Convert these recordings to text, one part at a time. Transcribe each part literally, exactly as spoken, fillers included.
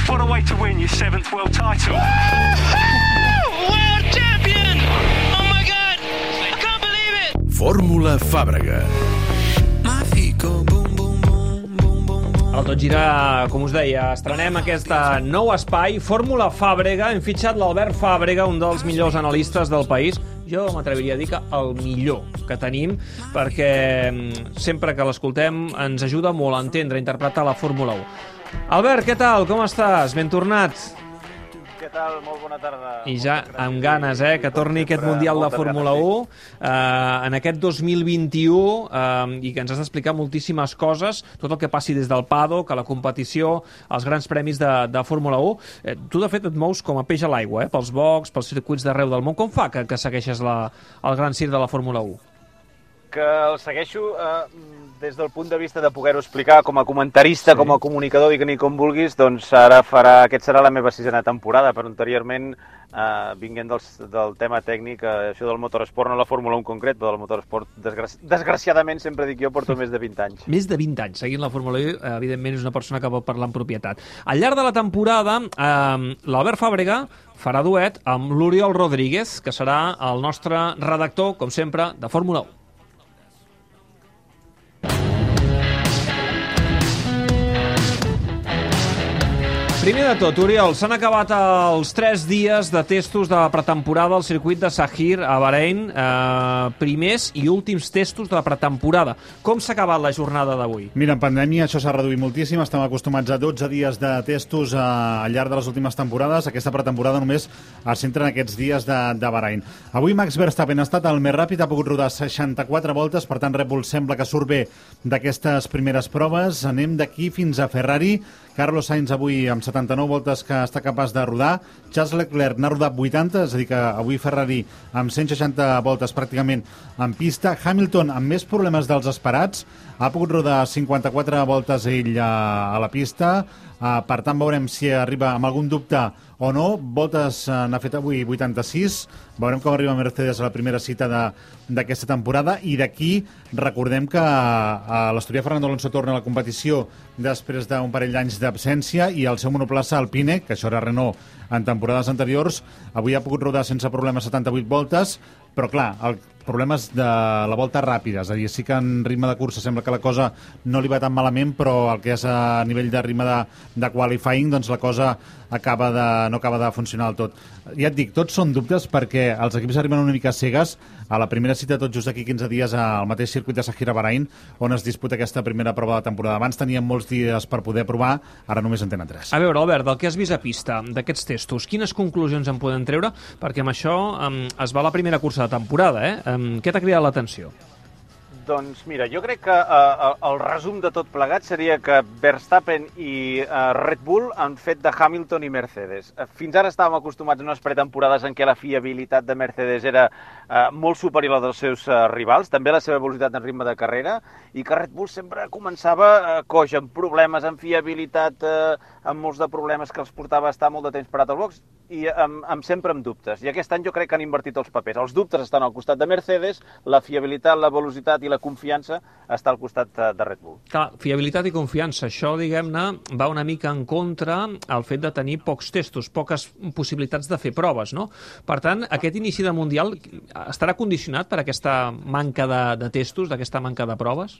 What a way to win your seventh world title. World champion! Oh my God! I can't believe it! Fórmula Fàbrega. El Tot Gira, com us deia, estrenem aquest nou espai, Fórmula Fàbrega. Hem fitxat l'Albert Fàbrega, un dels millors analistes del país. Jo m'atreviria a dir que el millor que tenim, perquè sempre que l'escoltem ens ajuda molt a entendre, a interpretar la Fórmula u. Albert, què tal? Com estàs? Ben tornat. Què tal? Molt bona tarda. I ja amb ganes, eh, que torni aquest Mundial de Fórmula u eh, en aquest dos mil vint-i-u eh, i que ens has d'explicar moltíssimes coses, tot el que passi des del paddock, a la competició, als grans premis de, de Fórmula u. Eh, tu, de fet, et mous com a peix a l'aigua, eh, pels boxs, pels circuits d'arreu del món. Com fa que, que segueixes la, el gran circ de la Fórmula u? Que el segueixo eh, des del punt de vista de poder-ho explicar com a comentarista, sí. Com a comunicador, digue-n'hi com vulguis, doncs ara farà, aquest serà la meva sisena temporada, però anteriorment, eh, vinguent del, del tema tècnic, eh, això del motoresport, no la Fórmula u en concret, però del motoresport, desgraci... desgraciadament, sempre dic jo, porto més de vint anys. Més de vint anys seguint la Fórmula u, eh, evidentment és una persona que pot parlar en propietat. Al llarg de la temporada, eh, l'Albert Fàbrega farà duet amb l'Oriol Rodríguez, que serà el nostre redactor, com sempre, de Fórmula u. Primer de tot, Oriol, s'han acabat els tres dies de testos de pretemporada al circuit de Sahir a Bahrein, eh, primers i últims testos de la pretemporada. Com s'ha acabat la jornada d'avui? Mira, en pandèmia això s'ha reduït moltíssim, estem acostumats a dotze dies de testos eh, al llarg de les últimes temporades. Aquesta pretemporada només es centra en aquests dies de, de Bahrein. Avui Max Verstappen ha estat el més ràpid, ha pogut rodar seixanta-quatre voltes, per tant Red Bull sembla que surt bé d'aquestes primeres proves. Anem d'aquí fins a Ferrari. Carlos Sainz avui amb setanta-nou voltes que està capaç de rodar. Charles Leclerc n'ha rodat vuitanta, és a dir que avui Ferrari amb cent seixanta voltes pràcticament en pista. Hamilton amb més problemes dels esperats, ha pogut rodar cinquanta-quatre voltes ell a, a la pista. Uh, per tant, veurem si arriba amb algun dubte o no. Voltes uh, n'ha fet avui vuitanta-sis. Veurem com arriba Mercedes a la primera cita d'aquesta temporada. I d'aquí recordem que uh, l'asturià Fernando Alonso torna a la competició després d'un parell d'anys d'absència i el seu monoplaça Alpine, que això era Renault en temporades anteriors, avui ha pogut rodar sense problemes setanta-vuit voltes, però clar, el problema és de la volta ràpida, és a dir, sí que en ritme de cursa sembla que la cosa no li va tan malament, però el que és a nivell de ritme de, de qualifying, doncs la cosa acaba de, no acaba de funcionar del tot. Ja et dic, tots són dubtes perquè els equips arriben una mica cegues a la primera cita tot just d'aquí quinze dies al mateix circuit de Sahir a Bahrein, on es disputa aquesta primera prova de temporada. Abans tenien molts dies per poder provar, ara només en tenen tres. A veure, Albert, del que has vist a pista, d'aquests testos, quines conclusions en podem treure? Perquè amb això um, es va la primera cursa de temporada, eh? Um, què t'ha cridat l'atenció? Doncs mira, jo crec que uh, el resum de tot plegat seria que Verstappen i uh, Red Bull han fet de Hamilton i Mercedes. Uh, fins ara estàvem acostumats a unes pretemporades en què la fiabilitat de Mercedes era uh, molt superior a la dels seus uh, rivals, també la seva velocitat en ritme de carrera, i que Red Bull sempre començava uh, coix, amb problemes, amb fiabilitat, uh, amb molts de problemes que els portava a estar molt de temps parat al box, i amb, amb sempre amb dubtes. I aquest any jo crec que han invertit els papers. Els dubtes estan al costat de Mercedes, la fiabilitat, la velocitat i la confiança està al costat de Red Bull. Clar, fiabilitat i confiança, això, diguem-ne, va una mica en contra el fet de tenir pocs testos, poques possibilitats de fer proves, no? Per tant, aquest inici de Mundial estarà condicionat per aquesta manca de, de testos, d'aquesta manca de proves?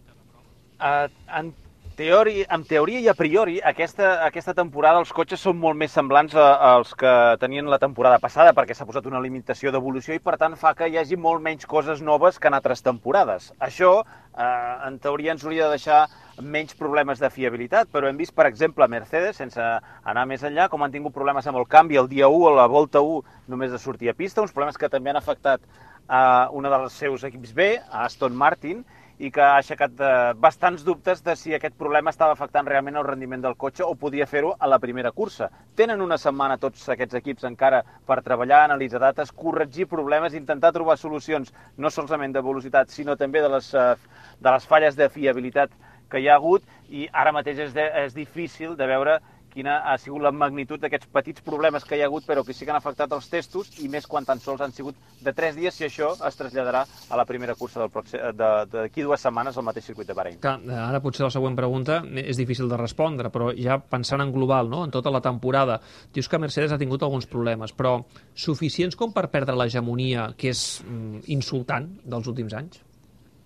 Uh, en Teori, en teoria i a priori, aquesta, aquesta temporada els cotxes són molt més semblants a, als que tenien la temporada passada, perquè s'ha posat una limitació d'evolució i, per tant, fa que hi hagi molt menys coses noves que en altres temporades. Això, eh, en teoria, ens hauria de deixar menys problemes de fiabilitat, però hem vist, per exemple, Mercedes, sense anar més enllà, com han tingut problemes amb el canvi el dia u, a la volta u, només de sortir a pista, uns problemes que també han afectat a una dels seus equips B, a Aston Martin, i que ha aixecat eh, bastants dubtes de si aquest problema estava afectant realment el rendiment del cotxe o podia fer-ho a la primera cursa. Tenen una setmana tots aquests equips encara per treballar, analitzar dates, corregir problemes, intentar trobar solucions no solament de velocitat, sinó també de les, eh, de les falles de fiabilitat que hi ha hagut, i ara mateix és, de, és difícil de veure quina ha sigut la magnitud d'aquests petits problemes que hi ha hagut, però que sí que han afectat els testos, i més quan tan sols han sigut de tres dies, si això es traslladarà a la primera cursa d'aquí dues setmanes al mateix circuit de Bahrein. Clar, ara potser la següent pregunta és difícil de respondre, però ja pensant en global, no? En tota la temporada, dius que Mercedes ha tingut alguns problemes, però suficients com per perdre l'hegemonia, que és mm, insultant, dels últims anys?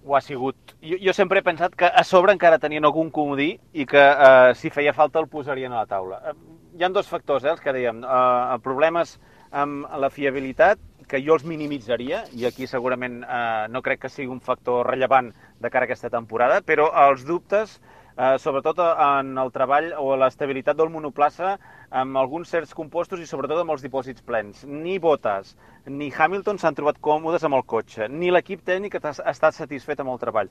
Ho ha sigut. Jo, jo sempre he pensat que a sobre encara tenien algun comodí i que eh, si feia falta el posarien a la taula. Eh, hi ha dos factors, eh, els que dèiem. Eh, problemes amb la fiabilitat, que jo els minimitzaria, i aquí segurament eh, no crec que sigui un factor rellevant de cara a aquesta temporada, però els dubtes, eh, sobretot en el treball o l'estabilitat del monoplaça, amb alguns certs compostos i sobretot amb els dipòsits plens. Ni Bottas ni Hamilton s'han trobat còmodes amb el cotxe, ni l'equip tècnic ha estat satisfet amb el treball.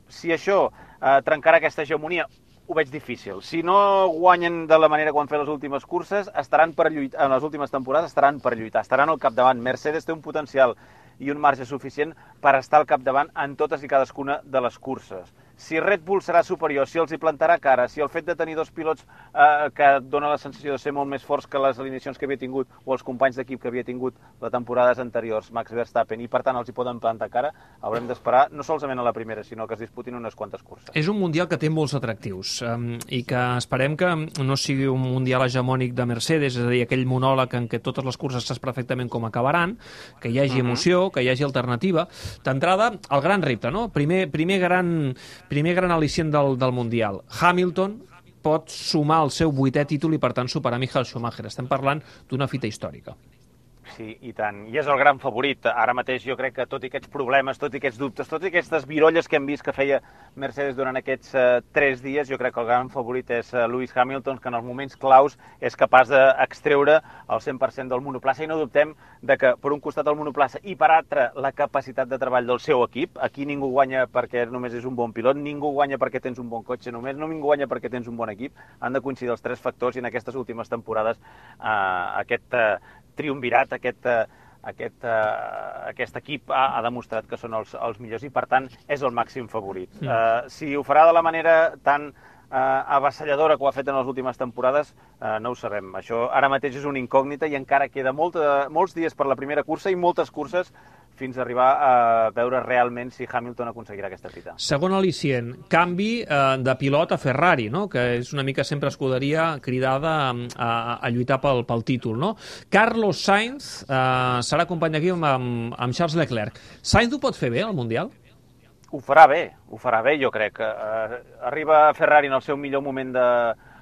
Si això eh, trencarà aquesta hegemonia, ho veig difícil. Si no guanyen de la manera que ho han fet les últimes curses, estaran per lluitar, en les últimes temporades estaran per lluitar, estaran al capdavant. Mercedes té un potencial i un marge suficient per estar al capdavant en totes i cadascuna de les curses. Si Red Bull serà superior, si els hi plantarà cara, si el fet de tenir dos pilots eh, que dona la sensació de ser molt més forts que les alineacions que havia tingut o els companys d'equip que havia tingut les temporades anteriors, Max Verstappen, i per tant els hi poden plantar cara, haurem d'esperar no solament a la primera, sinó que es disputin unes quantes curses. És un mundial que té molts atractius um, i que esperem que no sigui un mundial hegemònic de Mercedes, és a dir, aquell monòleg en què totes les curses saps perfectament com acabaran, que hi hagi uh-huh. emoció, que hi hagi alternativa. D'entrada, el gran repte, no? Primer, primer gran... primer gran al·licient del, del Mundial. Hamilton pot sumar el seu vuitè títol i, per tant, superar Michael Schumacher. Estem parlant d'una fita històrica. Sí, i tant. I és el gran favorit. Ara mateix jo crec que tot i aquests problemes, tot i aquests dubtes, tot i aquestes virolles que hem vist que feia Mercedes durant aquests uh, tres dies, jo crec que el gran favorit és uh, Lewis Hamilton, que en els moments claus és capaç d'extreure el cent per cent del monoplaça, i no dubtem de que per un costat el monoplaça i per altre la capacitat de treball del seu equip. Aquí ningú guanya perquè només és un bon pilot, ningú guanya perquè tens un bon cotxe només, no ningú guanya perquè tens un bon equip. Han de coincidir els tres factors, i en aquestes últimes temporades uh, aquest uh, triumvirat, aquest, aquest, aquest equip ha, ha demostrat que són els, els millors i, per tant, és el màxim favorit. Mm. Uh, si ho farà de la manera tan uh, avassalladora que ho ha fet en les últimes temporades, uh, no ho sabem. Això ara mateix és una incògnita i encara queda molta, molts dies per la primera cursa i moltes curses fins a arribar a veure realment si Hamilton aconseguirà aquesta fita. Segon al·licient, canvi eh, de pilot a Ferrari, no? Que és una mica sempre escuderia cridada a, a lluitar pel, pel títol, no? Carlos Sainz eh, serà company d'equip amb, amb, amb Charles Leclerc. Sainz ho pot fer bé al Mundial? Ho farà bé, ho farà bé, jo crec. Uh, arriba Ferrari en el seu millor moment de...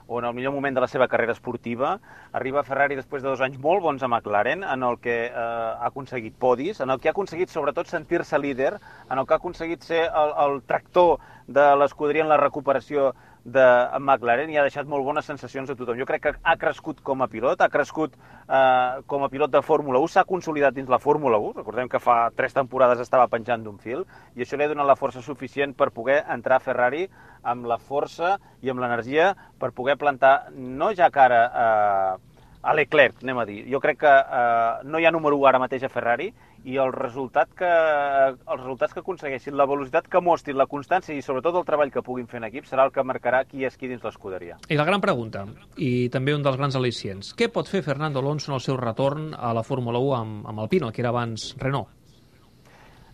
o en el millor moment de la seva carrera esportiva. Arriba Ferrari després de dos anys molt bons a McLaren, en el que eh, ha aconseguit podis, en el que ha aconseguit sobretot sentir-se líder, en el que ha aconseguit ser el, el tractor de l'escuderia en la recuperació de McLaren, i ha deixat molt bones sensacions a tothom. Jo crec que ha crescut com a pilot, ha crescut eh, com a pilot de Fórmula u, s'ha consolidat dins la Fórmula u, recordem que fa tres temporades estava penjant d'un fil, i això li ha donat la força suficient per poder entrar a Ferrari amb la força i amb l'energia per poder plantar, no ja cara eh, a Leclerc, anem a dir. Jo crec que eh, no hi ha número u ara mateix a Ferrari, i el resultat que, els resultats que aconsegueixin, la velocitat que mostrin, la constància i sobretot el treball que puguin fer en equip serà el que marcarà qui és qui dins l'escuderia. I la gran pregunta, i també un dels grans al·licients, què pot fer Fernando Alonso en el seu retorn a la Fórmula u amb, amb Alpine, el que era abans Renault?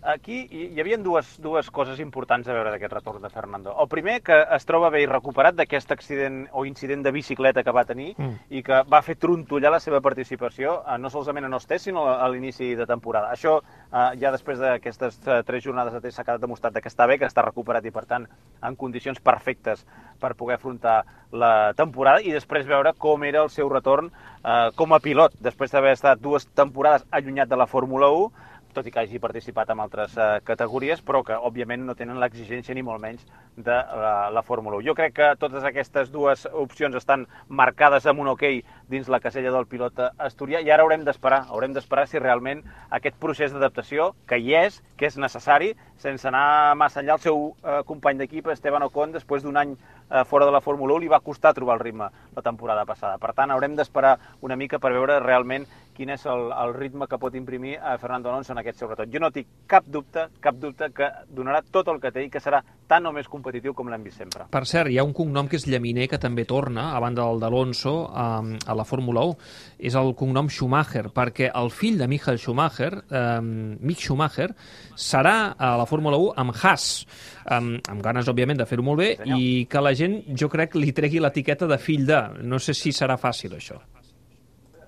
Aquí hi havia dues, dues coses importants a veure d'aquest retorn de Fernando. El primer, que es troba bé i recuperat d'aquest accident o incident de bicicleta que va tenir mm. i que va fer trontollar la seva participació, eh, no solament en els tests, sinó a l'inici de temporada. Això, eh, ja després d'aquestes eh, tres jornades de test, s'ha quedat demostrat que està bé, que està recuperat i, per tant, en condicions perfectes per poder afrontar la temporada, i després veure com era el seu retorn eh, com a pilot, després d'haver estat dues temporades allunyat de la Fórmula u, tot i que hagi participat en altres uh, categories, però que, òbviament, no tenen l'exigència ni molt menys de la, la Fórmula u. Jo crec que totes aquestes dues opcions estan marcades amb un ok dins la casella del pilot asturià, i ara haurem d'esperar, haurem d'esperar si realment aquest procés d'adaptació, que hi és, que és necessari, sense anar massa enllà, el seu uh, company d'equip, Esteban Ocon, després d'un any eh, fora de la Fórmula u li va costar trobar el ritme la temporada passada. Per tant, haurem d'esperar una mica per veure realment quin és el, el ritme que pot imprimir a Fernando Alonso en aquest sobretot. Jo no tinc cap dubte, cap dubte que donarà tot el que té i que serà tan o més competitiu com l'hem vist sempre. Per cert, hi ha un cognom que és Llaminer que també torna, a banda del d'Alonso, a, a la Fórmula u. És el cognom Schumacher, perquè el fill de Michael Schumacher, eh, Mick Schumacher, serà a la Fórmula u amb Haas, amb, amb ganes, òbviament, de fer-ho molt bé, sí, i que la gent, jo crec, li tregui l'etiqueta de fill de. No sé si serà fàcil, això.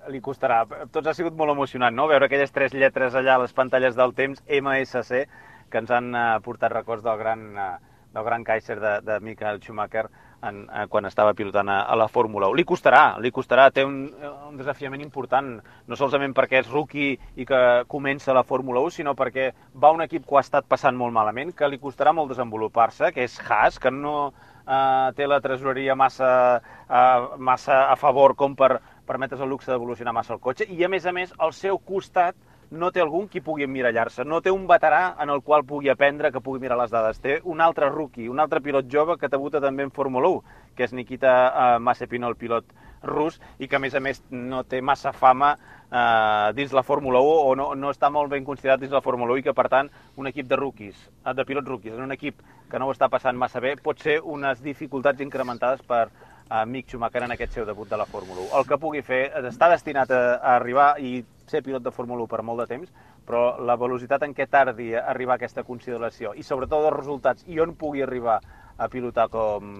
Li costarà. Tots ha sigut molt emocionant, no?, veure aquelles tres lletres allà a les pantalles del temps, M S C, que ens han uh, portat records del gran, uh, del gran Kaiser de, de Michael Schumacher en, uh, quan estava pilotant a, a la Fórmula u. Li costarà, li costarà, té un, un desafiament important, no solament perquè és rookie i que comença la Fórmula u, sinó perquè va un equip que ho ha estat passant molt malament, que li costarà molt desenvolupar-se, que és Haas, que no uh, té la tresoreria massa, uh, massa a favor com per permetre's el luxe d'evolucionar massa el cotxe, i a més a més al seu costat no té algun qui pugui emmirallar-se, no té un veterà en el qual pugui aprendre, que pugui mirar les dades. Té un altre rookie, un altre pilot jove que debuta també en Fórmula u, que és Nikita uh, Mazepin, el pilot rus, i que a més a més no té massa fama uh, dins la Fórmula u, o no, no està molt ben considerat dins la Fórmula u, i que per tant un equip de rookies, de pilots rookies, en un equip que no ho està passant massa bé, pot ser unes dificultats incrementades per a Mick Schumacher en aquest seu debut de la Fórmula u. El que pugui fer, està destinat a, a arribar i ser pilot de Fórmula u per molt de temps, però la velocitat en què tardi a arribar a aquesta consideració i sobretot els resultats i on pugui arribar a pilotar com,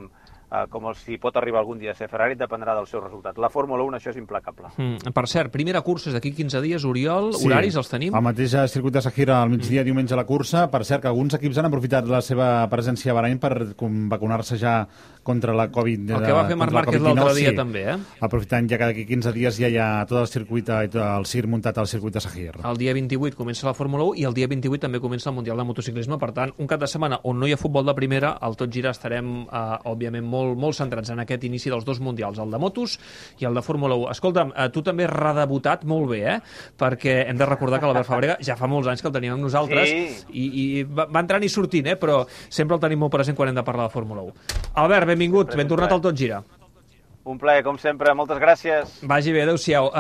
eh, com el, si pot arribar algun dia a ser Ferrari, dependrà dels seus resultats. La Fórmula u, això és implacable. Mm, per cert, primera cursa és d'aquí quinze dies, Oriol, sí, horaris els tenim? El mateix circuit de Sahira al migdia, mm. diumenge a la cursa. Per cert, que alguns equips han aprofitat la seva presència a Bahrain per vacunar-se ja contra la Covid. El que va fer Marc Márquez l'altre dia, sí, també, eh? Aprofitant ja que d'aquí quinze dies ja hi ha tot el circuit, el cir muntat al circuit de Sahir. El dia vint-i-vuit comença la Fórmula u i el dia vint-i-vuit també comença el Mundial de Motociclisme. Per tant, un cap de setmana on no hi ha futbol de primera, al Tot Gira estarem, eh, òbviament, molt, molt centrats en aquest inici dels dos mundials, el de motos i el de Fórmula u. Escolta'm, eh, tu també has redebutat molt bé, eh? Perquè hem de recordar que l'Albert Fàbrega ja fa molts anys que el tenim amb nosaltres, sí, i, i va, va entrant i sortint, eh? Però sempre el tenim molt present quan hem de parlar de Fórmula u. Albert, benvingut, ben tornat al Tot Gira. Un plaer, com sempre, moltes gràcies. Vagi bé, adeu-siau.